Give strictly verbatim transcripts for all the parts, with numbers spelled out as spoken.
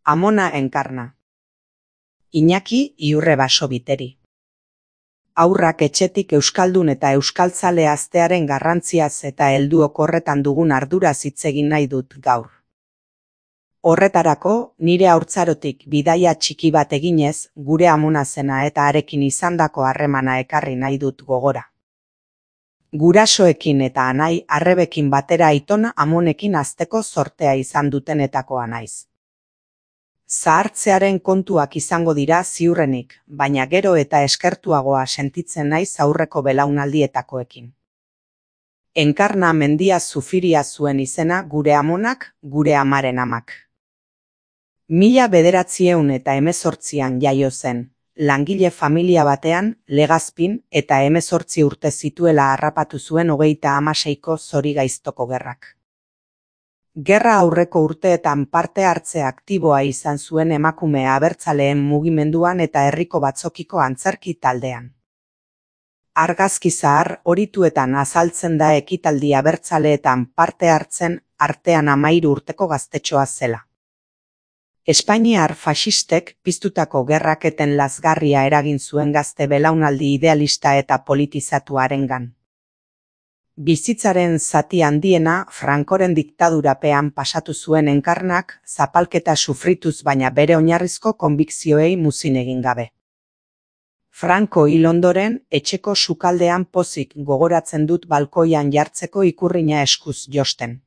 Amona Enkarna. Iñaki Iurre Basobiteri. Haurrak etxetik euskaldun eta euskaltzale aztearen garrantziaz eta helduok horretan dugun arduraz hitz egin nahi dut gaur. Horretarako, nire haurtzarotik bidaia txiki bat eginez, gure amona zena eta harekin izandako harremana ekarri nahi dut gogora. Gurasoekin eta anai arrebekin batera aiton amonekin hazteko zortea izan dutenetakoa naiz. Zahartzearen kontuak izango dira ziurrenik, baina gero eta eskertuagoa sentitzen naiz aurreko belaunaldietakoekin. Enkarna Mendia Zufiria zuen izena gure amonak, gure amaren amak. Mila bederatzieun eta hemezortzian jaio zen, langile familia batean, Legazpin eta hemezortzi urte zituela harrapatu zuen hogeita hamaseiko Zorigaiztoko gerrak. Gerra aurreko urteetan parte hartze aktiboa izan zuen emakume abertzaleen mugimenduan eta herriko batzokiko antzerki taldean. Argazki zahar horituetan azaltzen da ekitaldi abertzaleetan parte hartzen artean hamahiru urteko gaztetxoa zela. Espainiar faxistek piztutako gerraketen lazgarria eragin zuen gazte belaunaldi idealista eta politizatuarengan. Bizitzaren zati handiena Francoren diktadurapean pasatu zuen Enkarnak zapalketa sufrituz baina bere oinarrizko konbikzioei muzin egin gabe. Franco hil ondoren, etxeko sukaldean pozik gogoratzen dut balkoian jartzeko ikurrina eskuz josten.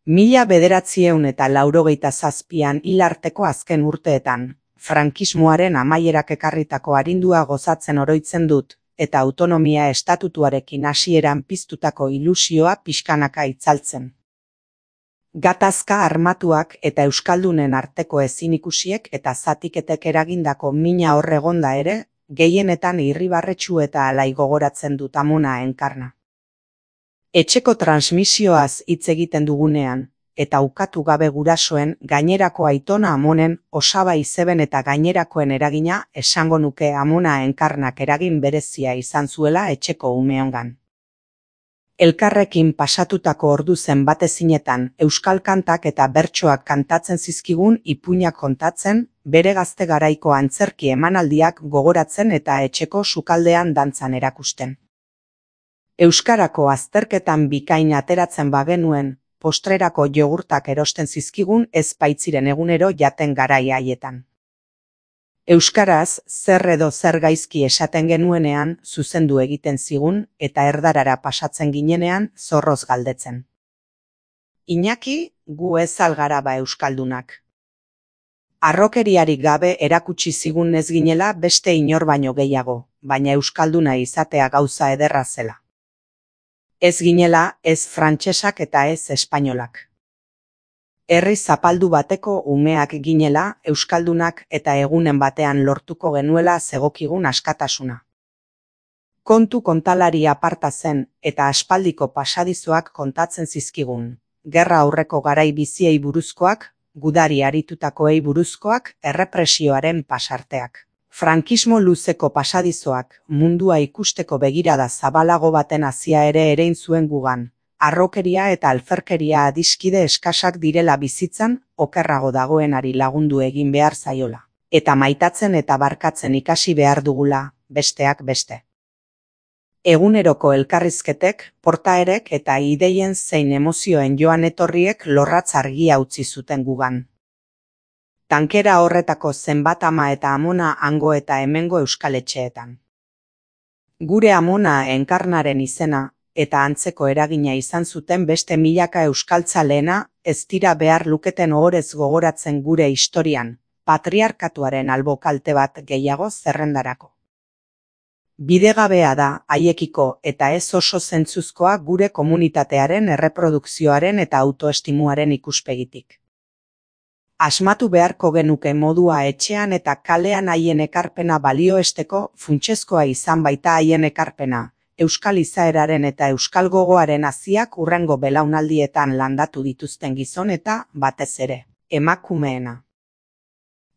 Mila bederatzieun eta laurogeita zazpian hil arteko azken urteetan, frankismoaren amaierak ekarritako arindua gozatzen oroitzen dut, eta autonomia estatutuarekin hasieran piztutako ilusioa pixkanaka itzaltzen. Gatazka armatuak eta euskaldunen arteko ezinikusiek eta zatiketek eragindako mina hor egonda ere, gehienetan irribarretsu eta alai gogoratzen dut Amona Enkarna. Etxeko transmisioaz hitz egiten dugunean, eta ukatu gabe gurasoen gainerako aitona amonen, osaba izeben eta gainerakoen eragina esango nuke Amona Enkarnak eragin berezia izan zuela etxeko umeongan. Elkarrekin pasatutako ordu zenbatezinetan euskal kantak eta bertsoak kantatzen zizkigun ipuinak kontatzen, bere gazte garaiko antzerki emanaldiak gogoratzen eta etxeko sukaldean dantzan erakusten. Euskarako azterketan bikain ateratzen bagenuen, postrerako jogurtak erosten zizkigun ez baitziren egunero jaten garai haietan. Euskaraz zer edo zer gaizki esaten genuenean zuzendu egiten zigun eta erdarara pasatzen ginenean zorroz galdetzen. Iñaki, gu ez algara ba euskaldunak. Harrokeriarik gabe erakutsi zigun ez ginela beste inor baino gehiago, baina euskalduna izatea gauza ederra zela. Ez ginela, ez frantsesak eta ez espainolak. Herri zapaldu bateko umeak ginela, euskaldunak eta egunen batean lortuko genuela zegokigun askatasuna. Kontu kontalari aparta zen eta aspaldiko pasadizoak kontatzen zizkigun. Gerra aurreko garai biziei buruzkoak, gudari aritutakoei buruzkoak, errepresioaren pasarteak. Frankismo luzeko pasadizoak, mundua ikusteko begirada zabalago baten hazia ere erein zuen gugan, harrokeria eta alferkeria adiskide eskasak direla bizitzan, okerrago dagoenari lagundu egin behar zaiola, eta maitatzen eta barkatzen ikasi behar dugula, besteak beste. Eguneroko elkarrizketek, portaerek eta ideien zein emozioen joan etorriek lorratz argia utzi zuten gugan. Tankera horretako zenbat ama eta amona hango eta hemengo euskaletxeetan. Gure Amona Enkarnaren izena eta antzeko eragina izan zuten beste milaka euskaltzaleena ez dira behar luketen ohorez gogoratzen gure historian, patriarkatuaren albo kalte bat gehiago zerrendarako. Bidegabea da haiekiko eta ez oso zentzuzkoa gure komunitatearen erreprodukzioaren eta autoestimuaren ikuspegitik. Asmatu beharko genuke modua etxean eta kalean haien ekarpena balioesteko funtsezkoa izan baita haien ekarpena, euskal izaeraren eta euskal gogoaren haziak hurrengo belaunaldietan landatu dituzten gizon eta, batez ere, emakumeena.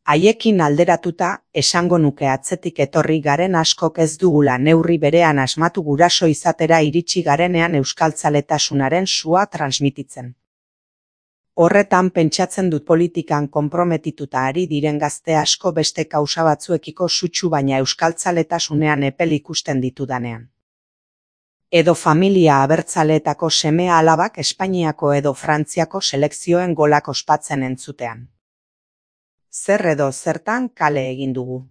Haiekin alderatuta, esango nuke atzetik etorri garen askok ez dugula neurri berean asmatu guraso izatera iritsi garenean euskaltzaletasunaren sua transmititzen. Horretan pentsatzen dut politikan konprometituta ari diren gazte asko beste kausa batzuekiko sutsu baina euskaltzaletasunean epel ikusten ditudanean. Edo familia abertzaleetako semea alabak Espainiako edo Frantziako selekzioen golak ospatzen entzutean. Zer edo zertan kale egin dugu.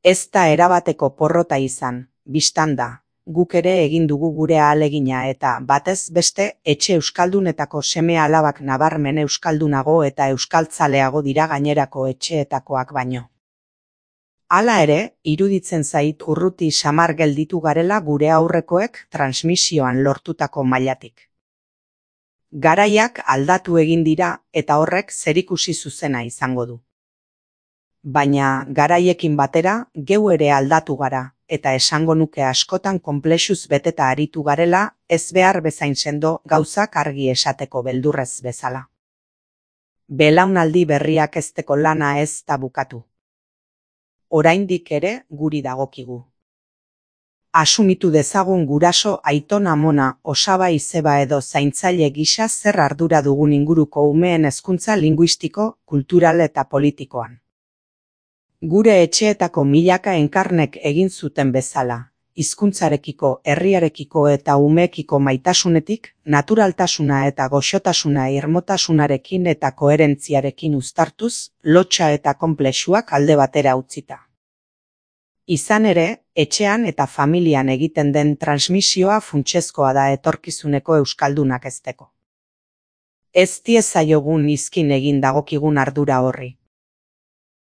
Ez da erabateko porrota izan, bistan da, guk ere egin dugu gure ahalegina eta batez beste etxe euskaldunetako semea alabak nabarmen euskaldunago eta euskaltzaleago dira gainerako etxeetakoak baino. Hala ere, iruditzen zait urruti samar gelditu garela gure aurrekoek transmisioan lortutako mailatik. Garaiak aldatu egin dira eta horrek zerikusi zuzena izango du. Baina garaiekin batera geu ere aldatu gara eta esango nuke askotan konplexuz beteta aritu garela ez behar bezain sendo gauzak argi esateko beldurrez bezala. Belaunaldi berriak hezteko lana ez da bukatu. Oraindik ere guri dagokigu. Asumitu dezagun guraso, aiton, amona, osaba, izeba edo zaintzaile gisa zer ardura dugun inguruko umeen hezkuntza linguistiko, kultural eta politikoan. Gure etxeetako milaka enkarnek egin zuten bezala, hizkuntzarekiko, herriarekiko eta umeekiko maitasunetik, naturaltasuna eta goxotasuna irmotasunarekin eta koherentziarekin uztartuz, lotsa eta konplexuak alde batera utzita. Izan ere, etxean eta familian egiten den transmisioa funtsezkoa da etorkizuneko euskaldunak hezteko. Ez diezaiogun izkin egin dagokigun ardura horri.